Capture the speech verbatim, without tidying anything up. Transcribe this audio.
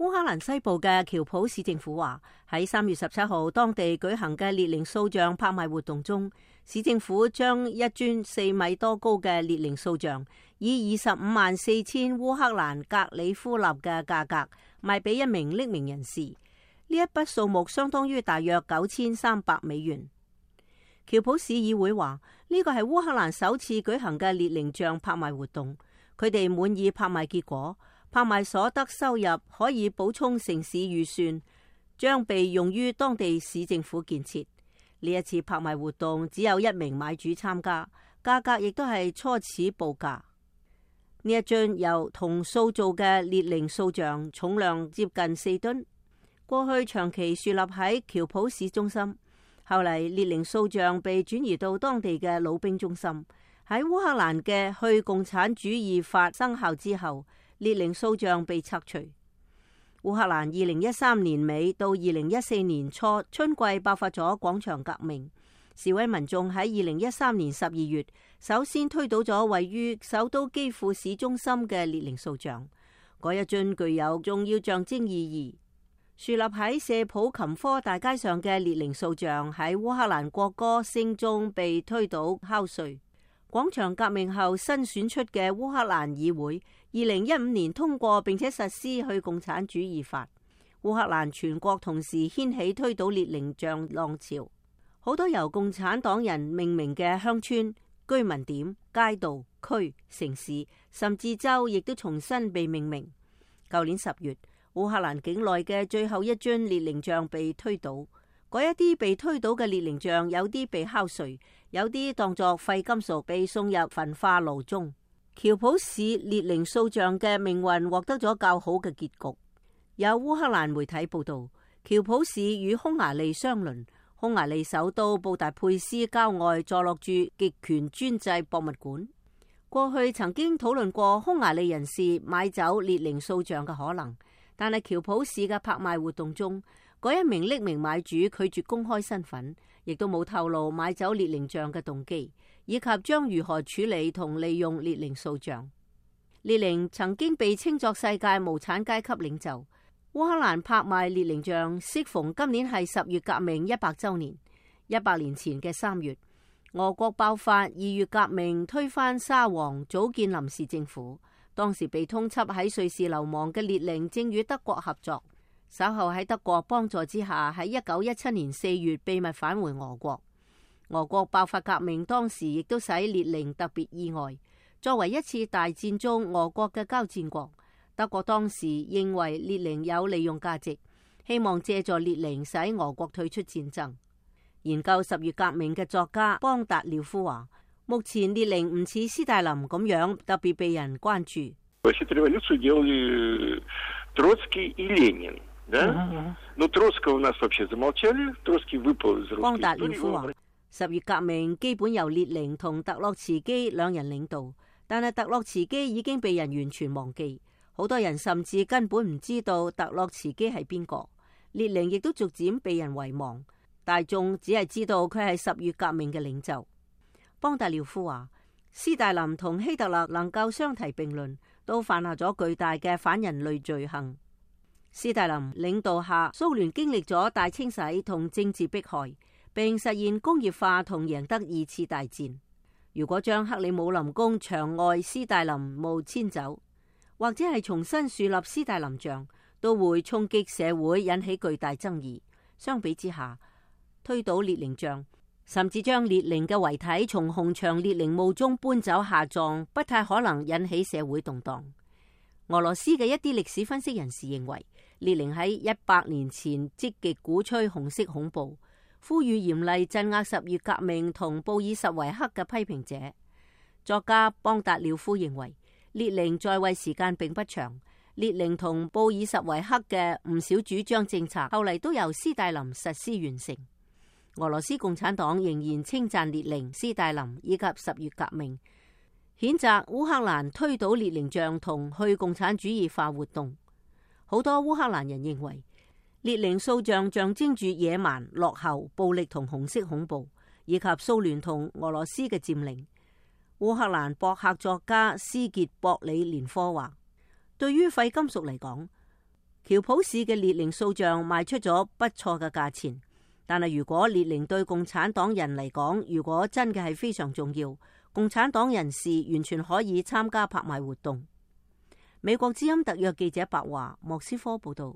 烏克蘭西部嘅喬普市政府話，喺三月十七號當地舉行嘅列寧塑像拍賣活動中，市政府將一尊四米多高嘅列寧塑像以二十五萬四千烏克蘭格里夫納嘅價格賣俾一名匿名人士。呢一筆數目相當於大約九千三百美元。喬普市議會話，呢個係烏克蘭首次舉行嘅列寧像拍賣活動，佢哋滿意拍賣結果。拍賣所得收入可以補充城市預算，將被用於當地市政府建設。呢一次拍賣活動只有一名買主參加，價格亦都係初始報價。呢一尊由銅塑造嘅列寧塑像重量接近四噸，過去長期豎立喺喬普市中心，後嚟列寧塑像被轉移到當地嘅老兵中心。喺烏克蘭嘅去共產主義法生效之後，列寧塑像被拆除。烏克蘭二零一三年尾到二零一四年初春季爆發咗廣場革命，示威民眾喺二零一三年十二月首先推倒咗位於首都基輔市中心嘅列寧塑像，嗰一尊具有重要象徵意義。豎立喺謝普琴科大街上嘅列寧塑像喺烏克蘭國歌聲中被推倒敲碎。廣場革命後新選出嘅烏克蘭議會二零一五年通過並且實施去共產主義法，烏克蘭全國同時掀起推倒列寧像浪潮，好多由共產黨人命名嘅鄉村、居民點、街道、區、城市甚至州亦都重新被命名。舊年十月，烏克蘭境內嘅最後一尊列寧像被推倒。嗰一啲被推倒嘅列寧像，有啲被敲碎，有啲當作廢金屬被送入焚化爐中。喬普市列寧塑像嘅命運獲得咗較好嘅結局。有烏克蘭媒體報道，喬普市與匈牙利相鄰，匈牙利首都布達佩斯郊外坐落住極權專制博物館。過去曾經討論過匈牙利人士買走列寧塑像嘅可能，但係喬普市嘅拍賣活動中，嗰一名匿名買主拒絕公開身份，亦都冇透露買走列寧像嘅動機，以及將如何處理同利用列寧塑像。列寧曾經被稱作世界無產階級領袖。烏克蘭拍賣列寧像適逢今年係十月革命一百週年。一百年前嘅三月，俄國爆發二月革命，推翻沙皇，組建臨時政府。當時被通緝喺瑞士流亡嘅列寧正與德國合作。稍後喺德國幫助之下，喺一九一七年四月秘密返回俄國。俄國爆發革命，當時亦都使列寧特別意外。作為一次大戰中俄國嘅交戰國，德國當時認為列寧有利用價值，希望借助列寧使俄國退出戰爭。研究十月革命嘅作家邦達廖夫話，目前列寧唔似斯大林咁樣特別被人關注。邦達廖夫話，十月革命基本由列寧同特洛茨基兩人領導，但係特洛茨基已經被人完全忘記，好多人甚至根本唔知道特洛茨基係邊個。列寧亦都逐漸被人遺忘，大眾只係知道佢係十月革命嘅領袖。邦達廖夫話，斯大林同希特勒能夠相提並論，都犯下咗巨大嘅反人類罪行。斯大林領導下，蘇聯經歷咗大清洗同政治迫害，並實現工業化同贏得二次大戰。如果將克里姆林宮牆外斯大林墓遷走，或者係重新樹立斯大林像，都會衝擊社會，引起巨大爭議。相比之下，推倒列寧像，甚至將列寧嘅遺體從紅牆列寧墓中搬走下葬，不太可能引起社會動盪。俄羅斯嘅一啲歷史分析人士認為，列寧喺一百年前積極鼓吹紅色恐怖，呼籲嚴厲鎮壓十月革命同布爾什維克嘅批評者。作家邦達廖夫認為，列寧在位時間並不長，列寧同布爾什維克嘅唔少主張政策後嚟都由斯大林實施完成。俄羅斯共產黨仍然稱讚列寧、斯大林以及十月革命，譴責烏克蘭推倒列寧像同去共產主義化活動。好多烏克蘭人認為，列寧塑像象徵住野蠻、落後、暴力同紅色恐怖，以及蘇聯同俄羅斯嘅佔領。烏克蘭博客作家斯傑博里連科話，對於廢金屬嚟講，喬普市嘅列寧塑像賣出咗不錯嘅價錢，但係如果列寧對共產黨人嚟講，如果真嘅係非常重要，共產黨人士完全可以參加拍賣活動。美國之音特約記者白華莫斯科報道。